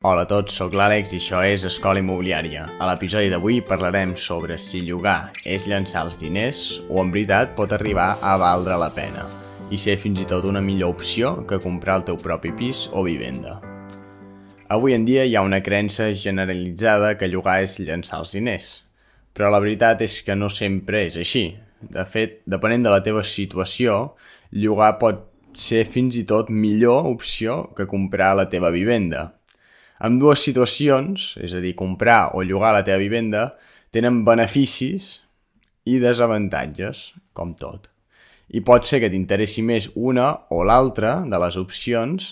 Hola a tots, sóc l'Àlex i això és Escola Immobiliària. A l'episodi d'avui parlarem sobre si llogar és llançar els diners o en veritat pot arribar a valdre la pena i ser fins i tot una millor opció que comprar el teu propi pis o vivenda. Avui en dia hi ha una creença generalitzada que llogar és llançar els diners, però la veritat és que no sempre és així. De fet, depenent de la teva situació, llogar pot ser fins i tot millor opció que comprar la teva vivenda. En dues situacions, és a dir, comprar o llogar la teva vivenda, tenen beneficis i desavantatges, com tot. I pot ser que t'interessi més una o l'altra de les opcions,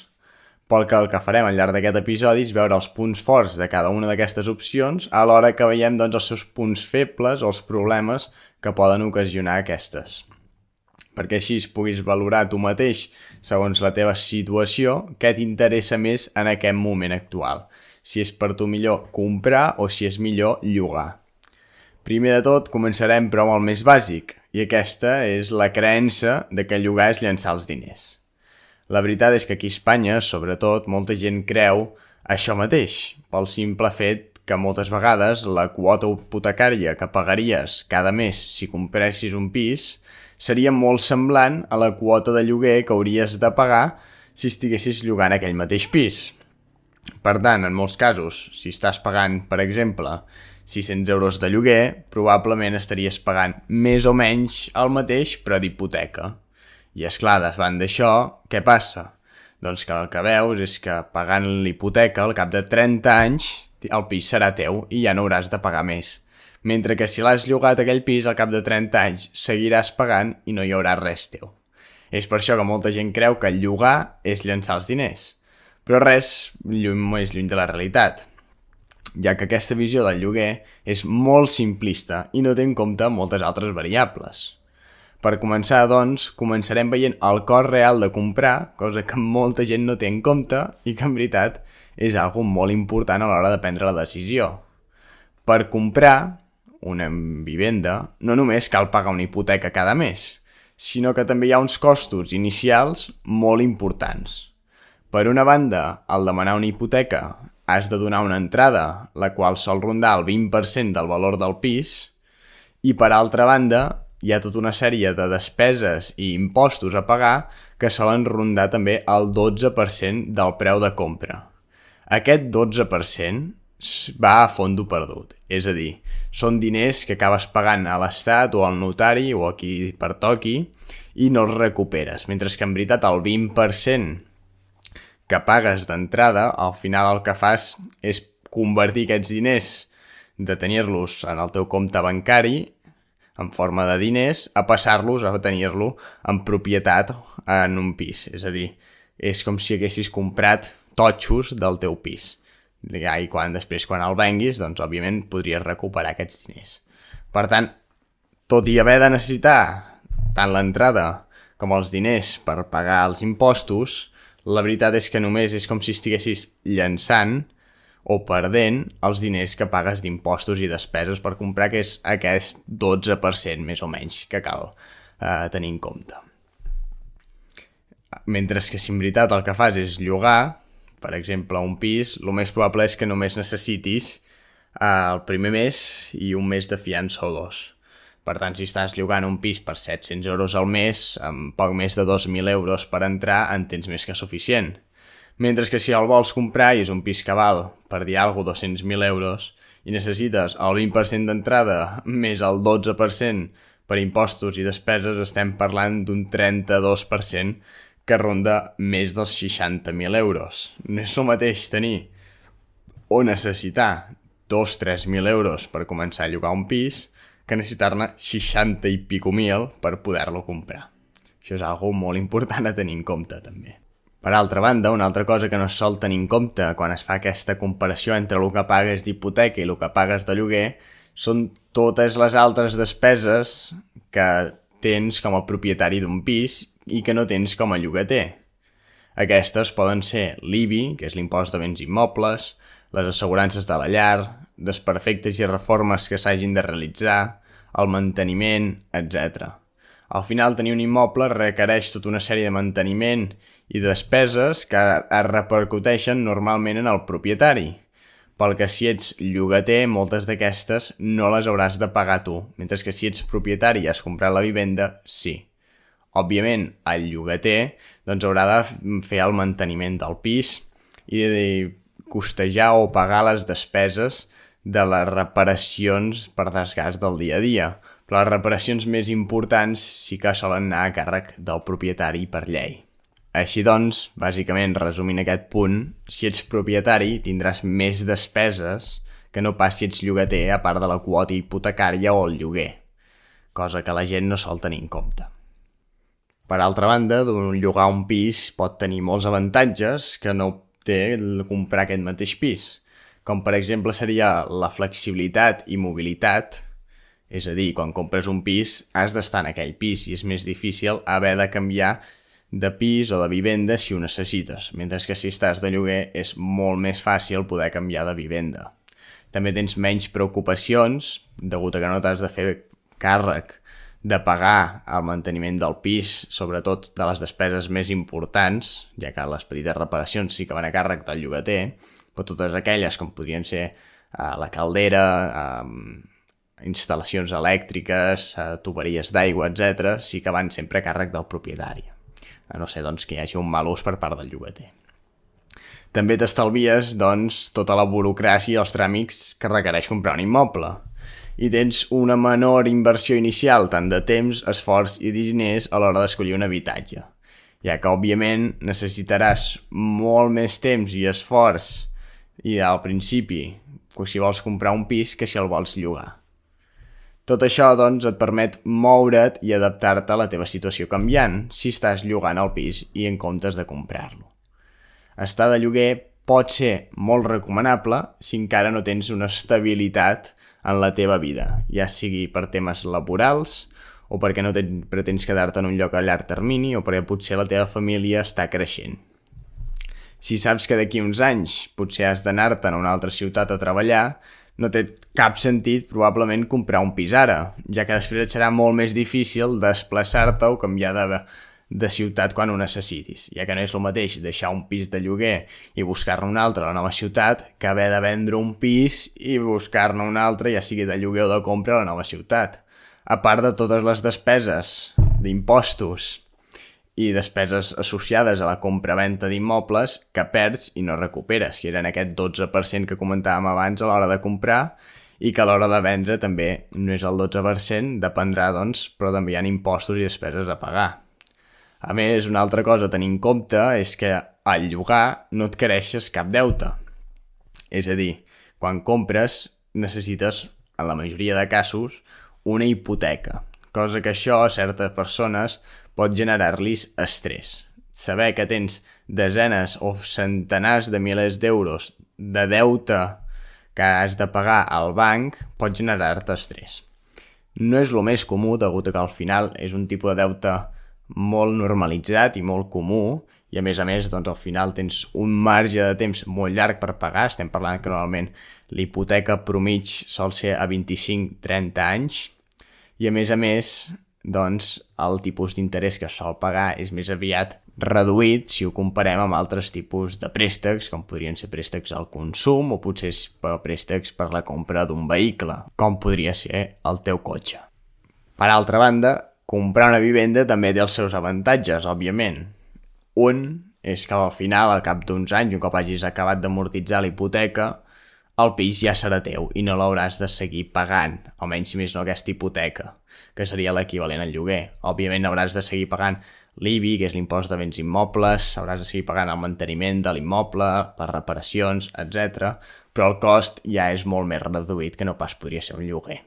pel que el que farem al llarg d'aquest episodi és veure els punts forts de cada una d'aquestes opcions, alhora que veiem els seus punts febles o els problemes que poden ocasionar aquestes. Perquè així puguis valorar tu mateix, segons la teva situació, què t'interessa més en aquest moment actual. Si és per tu millor comprar o si és millor llogar. Primer de tot, començarem però amb el més bàsic, i aquesta és la creença de que llogar és llançar els diners. La veritat és que aquí a Espanya, sobretot, molta gent creu això mateix, pel simple fet que moltes vegades la quota hipotecària que pagaries cada mes si compressis un pis seria molt semblant a la quota de lloguer que hauries de pagar si estiguessis llogant aquell mateix pis. Per tant, en molts casos, si estàs pagant, per exemple, 600 euros de lloguer, probablement estaries pagant més o menys el mateix però d'hipoteca. I esclar, davant d'això, què passa? Doncs que el que veus és que pagant l'hipoteca al cap de 30 anys el pis serà teu i ja no hauràs de pagar més. Mentre que si l'has llogat aquell pis al cap de 30 anys seguiràs pagant i no hi haurà res teu. És per això que molta gent creu que llogar és llançar els diners. Però res més lluny de la realitat, ja que aquesta visió del lloguer és molt simplista i no té en compte moltes altres variables. Per començar, doncs, començarem veient el cost real de comprar, cosa que molta gent no té en compte i que en veritat és algo molt important a l'hora de prendre la decisió. Per comprar una vivenda no només cal pagar una hipoteca cada mes, sinó que també hi ha uns costos inicials molt importants. Per una banda, al demanar una hipoteca has de donar una entrada, la qual sol rondar el 20% del valor del pis, i per altra banda hi ha tota una sèrie de despeses i impostos a pagar que solen rondar també el 12% del preu de compra. Aquest 12% va a fondo perdut, és a dir, són diners que acabes pagant a l'Estat o al notari o a qui pertoqui i no els recuperes, mentre que en veritat el 20% que pagues d'entrada, al final el que fas és convertir aquests diners de tenir-los en el teu compte bancari en forma de diners a passar-los a tenir-lo en propietat en un pis, és a dir, és com si haguessis comprat totxos del teu pis. I després quan el venguis, doncs òbviament podries recuperar aquests diners. Per tant, tot i haver de necessitar tant l'entrada com els diners per pagar els impostos, la veritat és que només és com si estiguessis llançant o perdent els diners que pagues d'impostos i despeses per comprar, que és aquest 12% més o menys que cal tenir en compte. Mentre que si en veritat el que fas és llogar, per exemple, un pis, el més probable és que només necessitis el primer mes i un mes de fiança o dos. Per tant, si estàs llogant un pis per 700 euros al mes, amb poc més de 2.000 euros per entrar, en tens més que suficient. Mentre que si el vols comprar i és un pis que val, per dir alguna cosa, 200.000 euros, i necessites el 20% d'entrada més el 12% per impostos i despeses, estem parlant d'un 32% que ronda més dels 60.000 euros. No és el mateix tenir o necessitar 2-3.000 euros per començar a llogar un pis que necessitar-ne 60 i pico mil per poder-lo comprar. Això és algo molt important a tenir en compte, també. Per altra banda, una altra cosa que no es sol tenir en compte quan es fa aquesta comparació entre el que pagues d'hipoteca i el que pagues de lloguer són totes les altres despeses que tens com a propietari d'un pis i que no tens com a llogater. Aquestes poden ser l'IBI, que és l'impost de béns immobles, les assegurances de la llar, desperfectes i reformes que s'hagin de realitzar, el manteniment, etc. Al final, tenir un immoble requereix tota una sèrie de manteniment i despeses que es repercuteixen normalment en el propietari, pel que si ets llogater, moltes d'aquestes no les hauràs de pagar tu, mentre que si ets propietari i has comprat la vivenda, sí. Òbviament, el llogater doncs, haurà de fer el manteniment del pis i de costejar o pagar les despeses de les reparacions per desgast del dia a dia, però les reparacions més importants sí que solen anar a càrrec del propietari per llei. Així doncs, bàsicament, resumint aquest punt, si ets propietari tindràs més despeses que no pas si ets llogater a part de la quota hipotecària o el lloguer, cosa que la gent no sol tenir en compte. Per altra banda, llogar un pis pot tenir molts avantatges que no té comprar aquest mateix pis, com per exemple seria la flexibilitat i mobilitat, és a dir, quan compres un pis has d'estar en aquell pis i és més difícil haver de canviar de pis o de vivenda si ho necessites, mentre que si estàs de lloguer és molt més fàcil poder canviar de vivenda. També tens menys preocupacions, degut a que no t'has de fer càrrec de pagar el manteniment del pis, sobretot de les despeses més importants, ja que les petites reparacions sí que van a càrrec del llogater, però totes aquelles com podrien ser la caldera, instal·lacions elèctriques, tuberies d'aigua, etc., sí que van sempre a càrrec del propietari, a no ser doncs, que hi hagi un mal ús per part del llogater. També t'estalvies doncs, tota la burocràcia i els tràmits que requereix comprar un immoble i tens una menor inversió inicial tant de temps, esforç i diners a l'hora d'escollir un habitatge, ja que òbviament necessitaràs molt més temps i esforç i al principi si vols comprar un pis que si el vols llogar. Tot això, doncs, et permet moure't i adaptar-te a la teva situació canviant si estàs llogant el pis i en comptes de comprar-lo. Estar de lloguer pot ser molt recomanable si encara no tens una estabilitat en la teva vida, ja sigui per temes laborals o perquè no pretens quedar-te en un lloc a llarg termini o perquè potser la teva família està creixent. Si saps que d'aquí uns anys potser has d'anar-te'n a una altra ciutat a treballar, no té cap sentit probablement comprar un pis ara, ja que després et serà molt més difícil desplaçar-te o canviar de ciutat quan ho necessitis, ja que no és el mateix deixar un pis de lloguer i buscar-ne un altre a la nova ciutat que haver de vendre un pis i buscar-ne un altre, ja sigui de lloguer o de compra, a la nova ciutat. A part de totes les despeses d'impostos i despeses associades a la compra-venta d'immobles que perds i no recuperes, que eren aquest 12% que comentàvem abans a l'hora de comprar i que a l'hora de vendre també no és el 12%, dependrà, doncs, però també hi ha impostos i despeses a pagar. A més, una altra cosa a tenir en compte és que al llogar no et creixes cap deute. És a dir, quan compres necessites, en la majoria de casos, una hipoteca, cosa que això a certes persones pot generar-los estrès. Saber que tens desenes o centenars de milers d'euros de deute que has de pagar al banc pot generar-te estrès. No és el més comú, degut a que al final és un tipus de deute molt normalitzat i molt comú, i a més, doncs, al final tens un marge de temps molt llarg per pagar. Estem parlant que normalment l'hipoteca promig sol ser a 25-30 anys, i a més, doncs, el tipus d'interès que es sol pagar és més aviat reduït si ho comparem amb altres tipus de préstecs, com podrien ser préstecs al consum o potser préstecs per la compra d'un vehicle, com podria ser el teu cotxe. Per altra banda, comprar una vivenda també té els seus avantatges, òbviament. Un és que al final, al cap d'uns anys, un cop hagis acabat d'amortitzar la hipoteca, el pis ja serà teu i no l'hauràs de seguir pagant, almenys si més no aquesta hipoteca, que seria l'equivalent al lloguer. Òbviament hauràs de seguir pagant l'IBI, que és l'impost de béns immobles, hauràs de seguir pagant el manteniment de l'immoble, les reparacions, etc. Però el cost ja és molt més reduït que no pas podria ser un lloguer.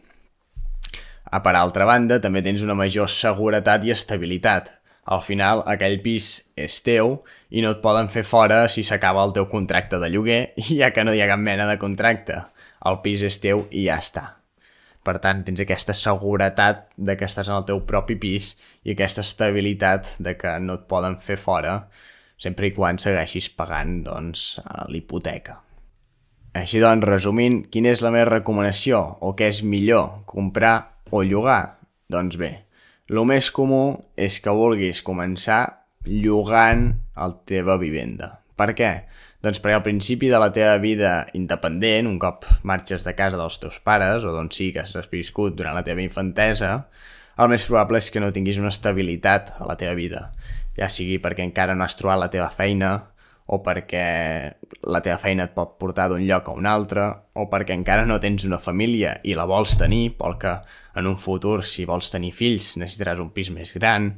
Per altra banda, també tens una major seguretat i estabilitat. Al final, aquell pis és teu i no et poden fer fora si s'acaba el teu contracte de lloguer, ja que no hi ha cap mena de contracte. El pis és teu i ja està. Per tant, tens aquesta seguretat de que estàs en el teu propi pis i aquesta estabilitat de que no et poden fer fora sempre i quan segueixis pagant, doncs, l'hipoteca. Així doncs, resumint, quina és la meva recomanació o què és millor, comprar o llogar? Doncs bé, El més comú és que vulguis començar llogant la teva vivenda. Per què? Doncs perquè al principi de la teva vida independent, un cop marxes de casa dels teus pares o d'on sigui que has viscut durant la teva infantesa, el més probable és que no tinguis una estabilitat a la teva vida, ja sigui perquè encara no has trobat la teva feina o perquè la teva feina et pot portar d'un lloc a un altre o perquè encara no tens una família i la vols tenir, perquè en un futur, si vols tenir fills, necessitaràs un pis més gran,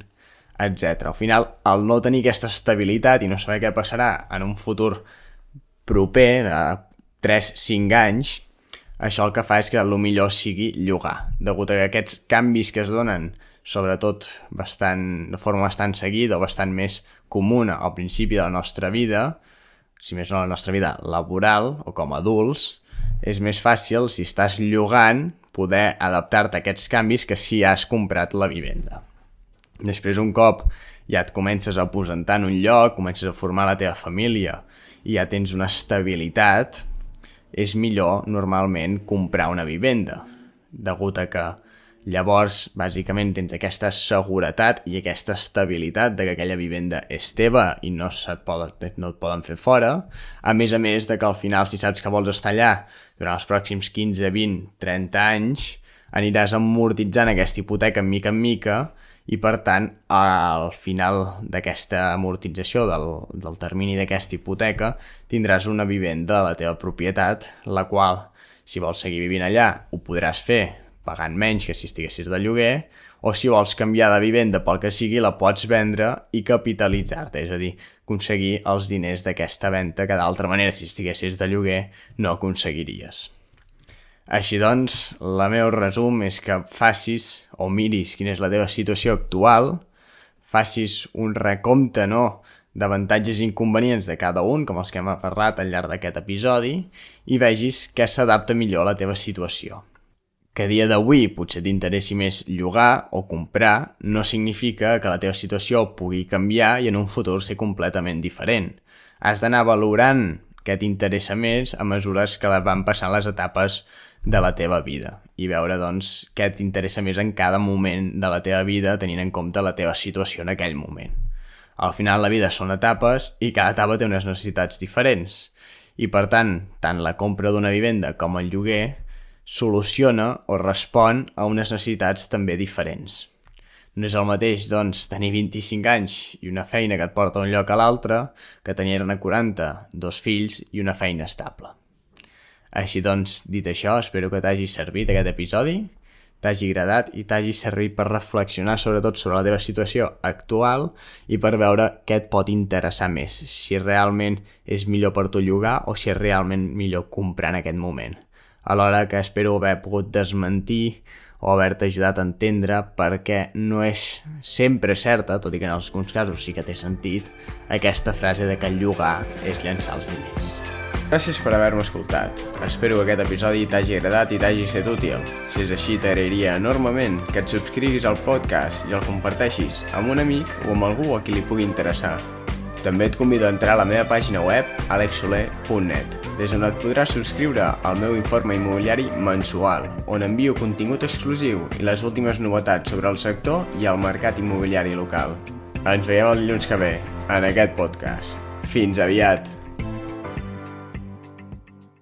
etc. Al final, al no tenir aquesta estabilitat i no saber què passarà en un futur proper, a 3-5 anys, això el que fa és que el millor sigui llogar. Degut a que aquests canvis que es donen, sobretot de forma bastant seguida o bastant més comuna al principi de la nostra vida, si més no la nostra vida laboral o com a adults, és més fàcil, si estàs llogant, poder adaptar-te a aquests canvis que si has comprat la vivenda. Després, un cop ja et comences a aposentar en un lloc, comences a formar la teva família i ja tens una estabilitat, és millor normalment comprar una vivenda, degut a que llavors bàsicament tens aquesta seguretat i aquesta estabilitat de que aquella vivenda és teva i no et poden fer fora, a més de que al final, si saps que vols estar allà durant els pròxims 15, 20, 30 anys, aniràs amortitzant aquesta hipoteca en mica i per tant al final d'aquesta amortització del termini d'aquesta hipoteca tindràs una vivenda de la teva propietat, la qual, si vols seguir vivint allà, ho podràs fer pagant menys que si estiguessis de lloguer, o si vols canviar de vivenda pel que sigui, la pots vendre i capitalitzar-te, és a dir, aconseguir els diners d'aquesta venda que d'altra manera, si estiguessis de lloguer, no aconseguiries. Així doncs, el meu resum és que facis o miris quina és la teva situació actual, facis un recompte d'avantatges i inconvenients de cada un, com els que hem parlat al llarg d'aquest episodi, i vegis què s'adapta millor a la teva situació. Que a dia d'avui potser t'interessi més llogar o comprar no significa que la teva situació pugui canviar i en un futur ser completament diferent. Has d'anar valorant què t'interessa més a mesures que van passant les etapes de la teva vida i veure doncs què t'interessa més en cada moment de la teva vida tenint en compte la teva situació en aquell moment. Al final la vida són etapes i cada etapa té unes necessitats diferents i per tant la compra d'una vivenda com el lloguer soluciona o respon a unes necessitats també diferents. No és el mateix, doncs, tenir 25 anys i una feina que et porta d'un lloc a l'altre que tenir-ne 40, 2 fills i una feina estable. Així doncs, dit això, espero que t'hagi servit aquest episodi, t'hagi agradat i t'hagi servit per reflexionar sobretot sobre la teva situació actual i per veure què et pot interessar més, si realment és millor per tu llogar o si és realment millor comprar en aquest moment. Alhora que espero haver pogut desmentir o haver-te ajudat a entendre perquè no és sempre certa, tot i que en alguns casos sí que té sentit, aquesta frase de que llogar és llençar els diners. Gràcies per haver-me escoltat. Espero que aquest episodi t'hagi agradat i t'hagi estat útil. Si és així, t'agrairia enormement que et subscriguis al podcast i el comparteixis amb un amic o amb algú a qui li pugui interessar. També et convido a entrar a la meva pàgina web alexsoler.net, des on et podràs subscriure al meu informe immobiliari mensual, on envio contingut exclusiu i les últimes novetats sobre el sector i el mercat immobiliari local. Ens veiem el dilluns que ve, en aquest podcast. Fins aviat!